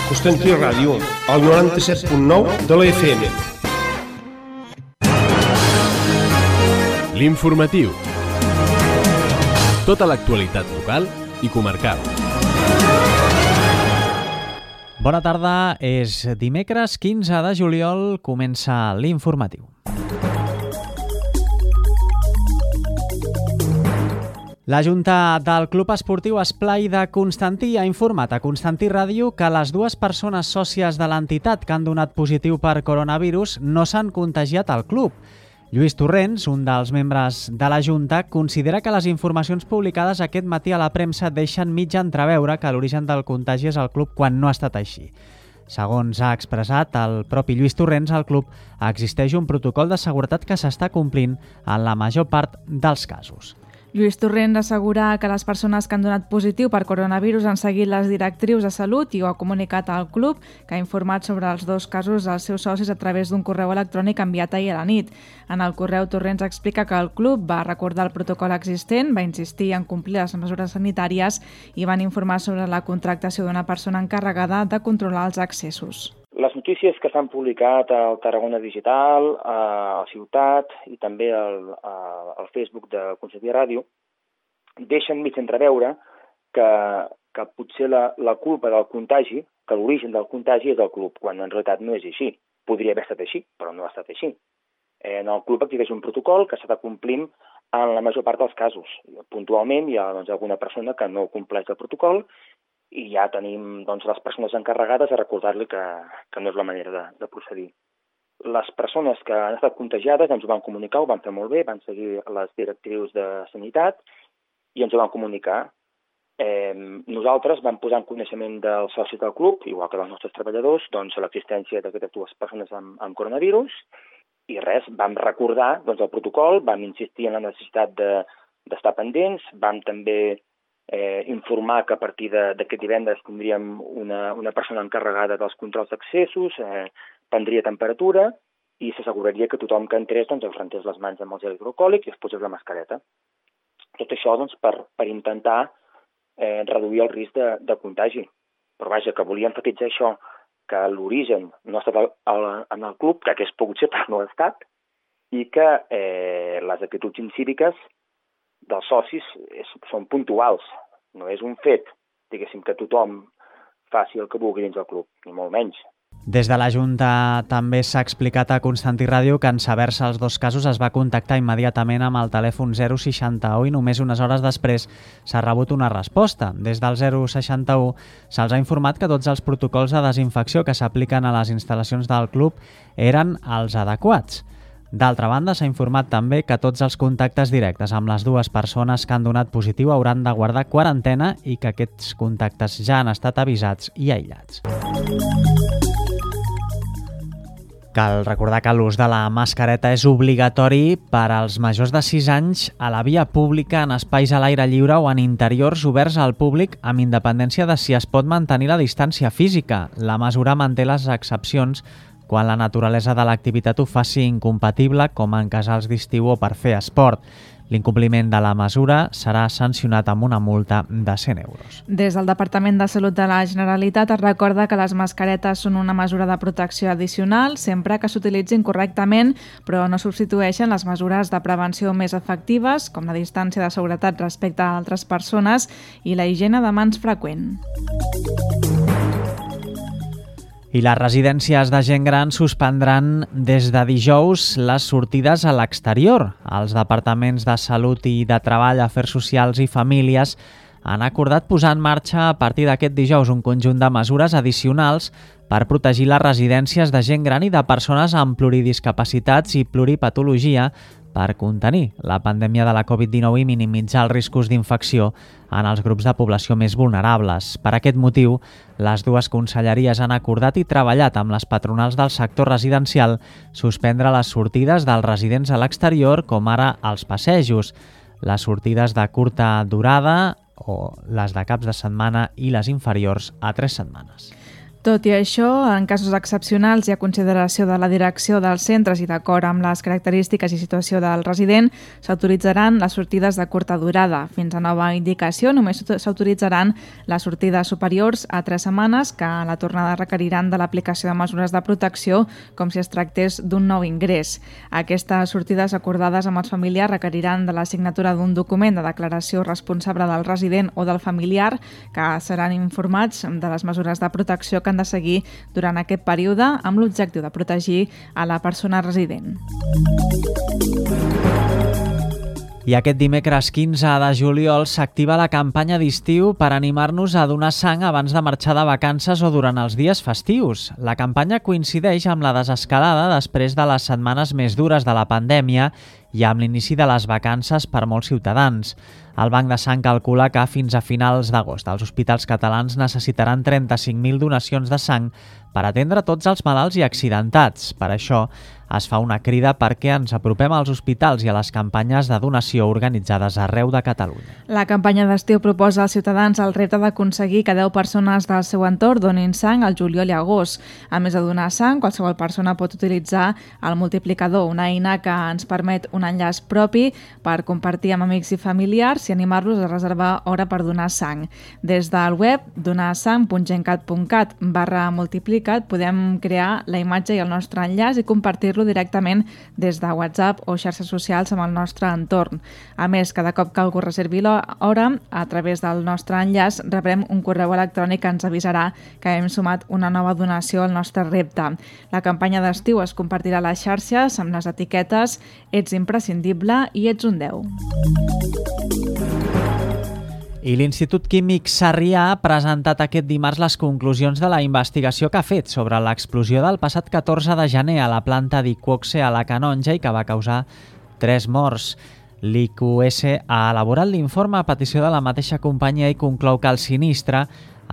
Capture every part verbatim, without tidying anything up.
Constantí Ràdio, al noranta-set punt nou de la F M. L'informatiu. Tota l'actualitat local i comarcal. Bona tarda, és dimecres quinze de juliol, comença l'informatiu. La Junta del Club Esportiu Esplai de Constantí ha informat a Constantí Ràdio que les dues persones sòcies de l'entitat que han donat positiu per coronavirus no s'han contagiat al club. Lluís Torrents, un dels membres de la Junta, considera que les informacions publicades aquest matí a la premsa deixen mig entreveure que l'origen del contagi és el club quan no ha estat així. Segons ha expressat el propi Lluís Torrents, al club existeix un protocol de seguretat que s'està complint en la major part dels casos. Lluís Torrents assegura que les persones que han donat positiu per coronavirus han seguit les directrius de salut i ho ha comunicat al club, que ha informat sobre els dos casos als seus socis a través d'un correu electrònic enviat ahir a la nit. En el correu, Torrents explica que el club va recordar el protocol existent, va insistir en complir les mesures sanitàries i van informar sobre la contractació d'una persona encarregada de controlar els accessos. Les notícies que s'han publicat al Tarragona Digital, a Ciutat i també al, al Facebook de Constantí Ràdio deixen mig entreveure que, que potser la, la culpa del contagi, que l'origen del contagi és del club, quan en realitat no és així. Podria haver estat així, però no ha estat així. En el club existeix un protocol que s'està complint en la major part dels casos. Puntualment hi ha doncs, alguna persona que no compleix el protocol i ja tenim doncs, les persones encarregades a recordar-li que, que no és la manera de, de procedir. Les persones que han estat contagiades ens ho van comunicar, ho van fer molt bé, van seguir les directrius de sanitat i ens ho van comunicar. Eh, nosaltres vam posar en coneixement dels socis del club, igual que dels nostres treballadors, doncs, l'existència d'aquestes dues persones amb, amb coronavirus i res, vam recordar doncs, el protocol, vam insistir en la necessitat de, d'estar pendents, vam també Eh, informar que a partir d'aquest divendres tindríem una, una persona encarregada dels controls d'accessos, eh, prendria temperatura i s'asseguraria que tothom que entrés doncs, es rentés les mans amb el gel hidroalcohòlic i es posés la mascareta. Tot això doncs, per, per intentar eh, reduir el risc de, de contagi. Però vaja, que volia enfatitzar això, que l'origen no ha estat al, al, en el club, que hagués pogut ser, però no ha estat, i que eh, les actituds incíviques dels socis és, són puntuals. No és un fet, diguéssim, que tothom faci el que vulgui dins del club, ni molt menys. Des de la Junta també s'ha explicat a Constantí Ràdio que en saber-se els dos casos es va contactar immediatament amb el telèfon zero seixanta-u i només unes hores després s'ha rebut una resposta. Des del zero seixanta-u se'ls ha informat que tots els protocols de desinfecció que s'apliquen a les instal·lacions del club eren els adequats. D'altra banda, s'ha informat també que tots els contactes directes amb les dues persones que han donat positiu hauran de guardar quarantena i que aquests contactes ja han estat avisats i aïllats. Cal recordar que l'ús de la mascareta és obligatori per als majors de sis anys a la via pública, en espais a l'aire lliure o en interiors oberts al públic, amb independència de si es pot mantenir la distància física. La mesura manté les excepcions quan la naturalesa de l'activitat ho faci incompatible, com en casals d'estiu o per fer esport. L'incompliment de la mesura serà sancionat amb una multa de cent euros. Des del Departament de Salut de la Generalitat es recorda que les mascaretes són una mesura de protecció addicional sempre que s'utilitzin correctament, però no substitueixen les mesures de prevenció més efectives, com la distància de seguretat respecte a altres persones i la higiene de mans freqüent. I les residències de gent gran suspendran des de dijous les sortides a l'exterior. Els departaments de Salut i de Treball, Afers Socials i Famílies han acordat posar en marxa a partir d'aquest dijous un conjunt de mesures addicionals per protegir les residències de gent gran i de persones amb pluridiscapacitats i pluripatologia per contenir la pandèmia de la covid dinou i minimitzar els riscos d'infecció en els grups de població més vulnerables. Per aquest motiu, les dues conselleries han acordat i treballat amb les patronals del sector residencial suspendre les sortides dels residents a l'exterior, com ara els passejos, les sortides de curta durada o les de caps de setmana i les inferiors a tres setmanes. Tot i això, en casos excepcionals i a consideració de la direcció dels centres i d'acord amb les característiques i situació del resident, s'autoritzaran les sortides de curta durada. Fins a nova indicació, només s'autoritzaran les sortides superiors a tres setmanes que a la tornada requeriran de l'aplicació de mesures de protecció com si es tractés d'un nou ingrés. Aquestes sortides acordades amb els familiars requeriran de la signatura d'un document de declaració responsable del resident o del familiar que seran informats de les mesures de protecció que han de seguir durant aquest període amb l'objectiu de protegir a la persona resident. I aquest dimecres quinze de juliol s'activa la campanya d'estiu per animar-nos a donar sang abans de marxar de vacances o durant els dies festius. La campanya coincideix amb la desescalada després de les setmanes més dures de la pandèmia i amb l'inici de les vacances per molts ciutadans. El Banc de Sang calcula que fins a finals d'agost els hospitals catalans necessitaran trenta-cinc mil donacions de sang per atendre tots els malalts i accidentats. Per això es fa una crida perquè ens apropem als hospitals i a les campanyes de donació organitzades arreu de Catalunya. La campanya d'estiu proposa als ciutadans el repte d'aconseguir que deu persones del seu entorn donin sang al juliol i agost. A més de donar sang, qualsevol persona pot utilitzar el multiplicador, una eina que ens permet un enllaç propi per compartir amb amics i familiars i animar-los a reservar hora per donar sang. Des del web donarsang punt gencat punt cat barra multiplicat podem crear la imatge i el nostre enllaç i compartir-lo directament des de WhatsApp o xarxes socials amb el nostre entorn. A més, cada cop que algú reservi l'hora, a través del nostre enllaç rebrem un correu electrònic que ens avisarà que hem sumat una nova donació al nostre repte. La campanya d'estiu es compartirà a les xarxes amb les etiquetes "Ets imprescindible" i "Ets un deu". I l'Institut Químic Sarrià ha presentat aquest dimarts les conclusions de la investigació que ha fet sobre l'explosió del passat catorze de gener a la planta d'Iqoxe a la Canonja i que va causar tres morts. L'I Q S ha elaborat l'informe a petició de la mateixa companyia i conclou que el sinistre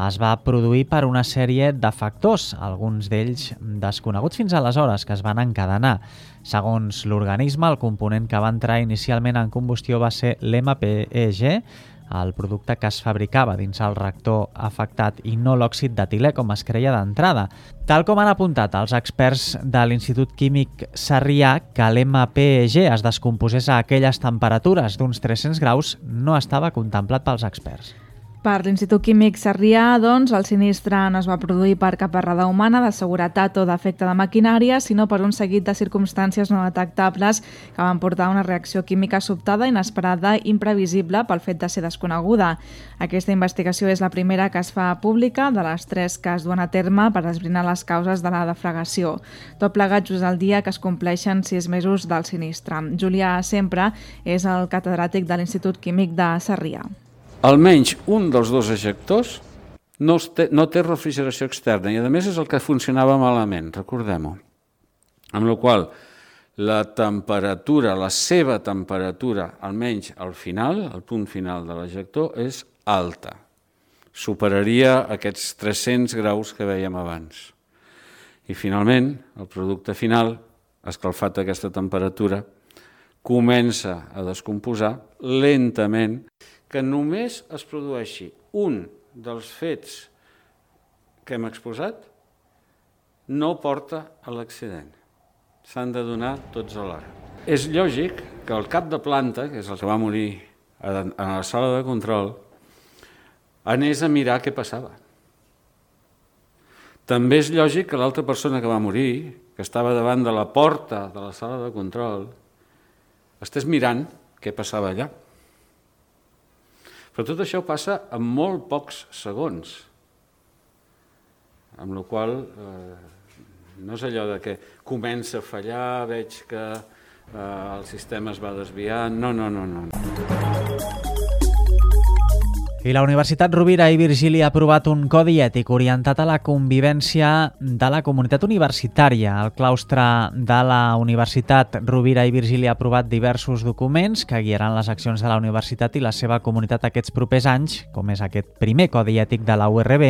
es va produir per una sèrie de factors, alguns d'ells desconeguts fins aleshores, que es van encadenar. Segons l'organisme, el component que va entrar inicialment en combustió va ser l'M P E G, el producte que es fabricava dins el reactor afectat i no l'òxid d'etilè, com es creia d'entrada. Tal com han apuntat els experts de l'Institut Químic Sarrià, que l'M P E G es descomposés a aquelles temperatures d'uns tres-cents graus no estava contemplat pels experts. Per l'Institut Químic Sarrià, doncs, el sinistre no es va produir per cap errada humana de seguretat o defecte de maquinària, sinó per un seguit de circumstàncies no detectables que van portar a una reacció química sobtada, inesperada i imprevisible pel fet de ser desconeguda. Aquesta investigació és la primera que es fa pública de les tres que es duen a terme per esbrinar les causes de la deflagració. Tot plegat just el dia que es compleixen sis mesos del sinistre. Julià Sempre és el catedràtic de l'Institut Químic de Sarrià. Almenys un dels dos ejectors no té, no té refrigeració externa i, a més, és el que funcionava malament, recordem-ho. Amb la qual la temperatura, la seva temperatura, almenys al final, al punt final de l'ejector, és alta. Superaria aquests tres-cents graus que vèiem abans. I, finalment, el producte final, escalfat a aquesta temperatura, comença a descomposar lentament, que només es produeixi un dels fets que hem exposat no porta a l'accident. S'han de donar tots alhora. És lògic que el cap de planta, que és el que va morir a la sala de control, anés a mirar què passava. També és lògic que l'altra persona que va morir, que estava davant de la porta de la sala de control, estés mirant què passava allà. Però tot això passa en molt pocs segons, amb la qual cosa eh, no és allò de que comença a fallar, veig que eh, el sistema es va desviar, no, no, no, no. I la Universitat Rovira i Virgili ha aprovat un codi ètic orientat a la convivència de la comunitat universitària. El claustre de la Universitat Rovira i Virgili ha aprovat diversos documents que guiaran les accions de la universitat i la seva comunitat aquests propers anys, com és aquest primer codi ètic de la U R B,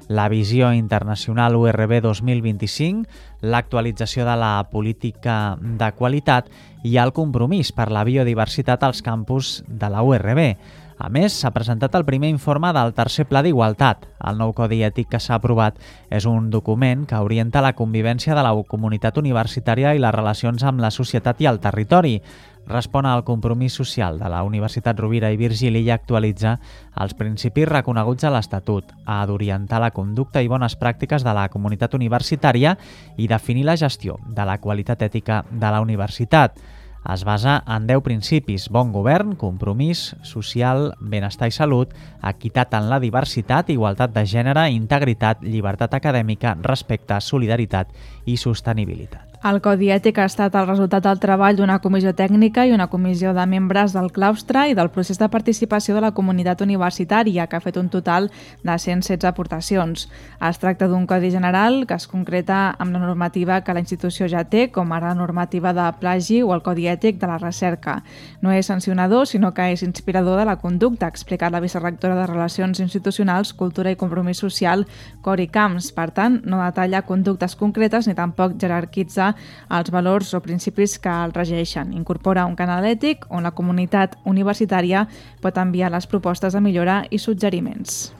la visió internacional U R B dos mil vint-i-cinc, l'actualització de la política de qualitat i el compromís per la biodiversitat als campus de la U R B. A més, s'ha presentat el primer informe del tercer Pla d'Igualtat. El nou Codi Ètic que s'ha aprovat és un document que orienta la convivència de la comunitat universitària i les relacions amb la societat i el territori. Respon al compromís social de la Universitat Rovira i Virgili i actualitza els principis reconeguts a l'Estatut, ha d'orientar la conducta i bones pràctiques de la comunitat universitària i definir la gestió de la qualitat ètica de la universitat. Es basa en deu principis: bon govern, compromís social, benestar i salut, equitat en la diversitat, igualtat de gènere, integritat, llibertat acadèmica, respecte, solidaritat i sostenibilitat. El Codi Ètic ha estat el resultat del treball d'una comissió tècnica i una comissió de membres del claustre i del procés de participació de la comunitat universitària, que ha fet un total de cent setze aportacions. Es tracta d'un codi general que es concreta amb la normativa que la institució ja té, com ara la normativa de plagi o el Codi Ètic de la recerca. No és sancionador, sinó que és inspirador de la conducta, ha explicat la vicerectora de Relacions Institucionals, Cultura i Compromís Social, Cori Camps. Per tant, no detalla conductes concretes ni tampoc jerarquitza els valors o principis que el regeixen. Incorpora un canal ètic on la comunitat universitària pot enviar les propostes de millora i suggeriments.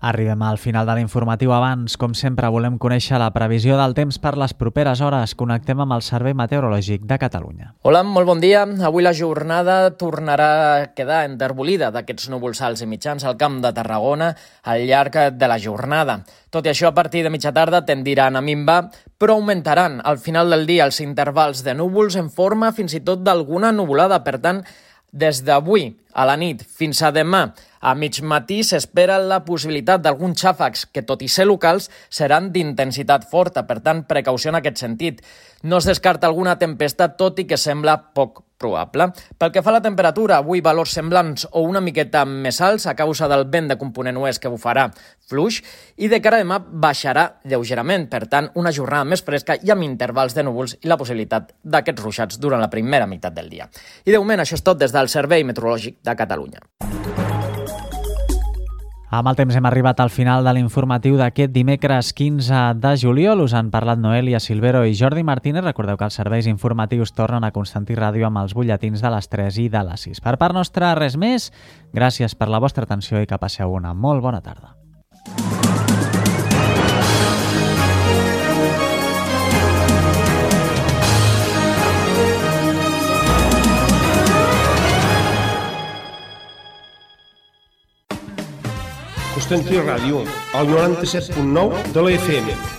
Arribem al final de l'informatiu. Abans, com sempre, volem conèixer la previsió del temps per les properes hores. Connectem amb el Servei Meteorològic de Catalunya. Hola, molt bon dia. Avui la jornada tornarà a quedar enterbolida d'aquests núvols alts i mitjans al Camp de Tarragona al llarg de la jornada. Tot i això, a partir de mitja tarda tendiran a minvar, però augmentaran al final del dia els intervals de núvols en forma fins i tot d'alguna nuvolada. Per tant, des d'avui a la nit fins a demà, a mig matí s'espera la possibilitat d'alguns xàfecs que, tot i ser locals, seran d'intensitat forta. Per tant, precaució en aquest sentit. No es descarta alguna tempesta, tot i que sembla poc probable. Pel que fa a la temperatura, avui valors semblants o una miqueta més alts a causa del vent de component oest que bufarà fluix, i de cara a demà baixarà lleugerament. Per tant, una jornada més fresca i amb intervals de núvols i la possibilitat d'aquests ruixats durant la primera meitat del dia. I de moment, això és tot des del Servei Meteorològic de Catalunya. Amb el temps hem arribat al final de l'informatiu d'aquest dimecres quinze de juliol. Us han parlat Noelia Silvero i Jordi Martínez. Recordeu que els serveis informatius tornen a Constantí Ràdio amb els butlletins de les tres i de les sis. Per part nostra, res més. Gràcies per la vostra atenció i que passeu una molt bona tarda. Constantí Ràdio, al noranta-set punt nou de la F M.